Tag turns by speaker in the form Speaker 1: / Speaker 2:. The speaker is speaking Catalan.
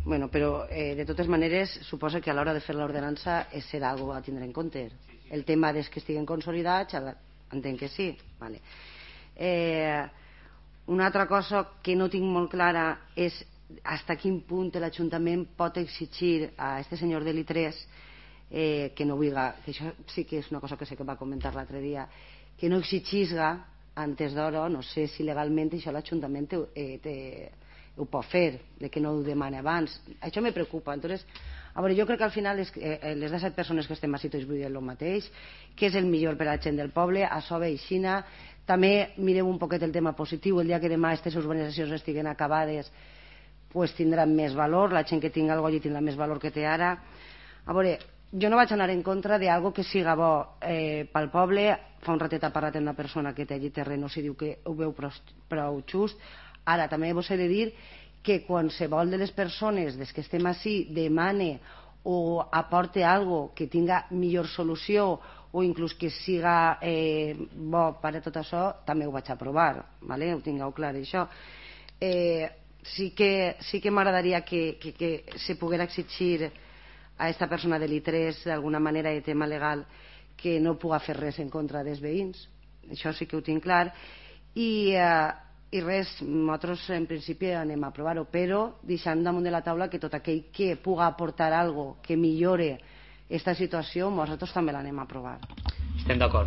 Speaker 1: Bueno, però de totes maneres suposa que a l'hora de fer l'ordenança serà algo a tindre en compte. El tema dels que estiguen consolidats entenc que sí, vale. Una altra cosa que no tinc molt clara és hasta quin punt l'Ajuntament pot exigir a este senyor de l'I3 que no vulga, que això sí que és una cosa que sé que va comentar l'altre dia, que no exigisga antes d'hora, no sé si legalment això l'Ajuntament ho pot fer, de que no ho demana abans. Això me preocupa. Entonces, a veure, jo crec que al final les 17 persones que estem així tots vull dir el mateix, que és el millor per a la gent del poble, això ve aixina. També mireu un poquet el tema positiu, el dia que demà aquestes urbanitzacions estiguen acabades pues tindran més valor, la gent que tingui alguna cosa tindrà més valor que té ara. A veure, jo no vaig anar en contra d'algo que siga bo pel poble. Fa un ratet ha parlat amb una persona que té allí terrenos i diu que ho veu prou just. Ara també vos he de dir que qualsevol de les persones des que estem així demane o aporte algo que tinga millor solució o inclús que siga bo per a tot això, també ho vaig aprovar, ¿vale? Ho tingueu clar això. Sí que m'agradaria que se poguera exigir a aquesta persona de l'I3 d'alguna manera de tema legal que no puga fer res en contra dels veïns, això sí que ho tinc clar. I res, nosaltres en principi anem a aprovar-ho, però deixant damunt de la taula que tot aquell que puga aportar algo que millore aquesta situació nosaltres també l'anem a aprovar.
Speaker 2: Estem d'acord.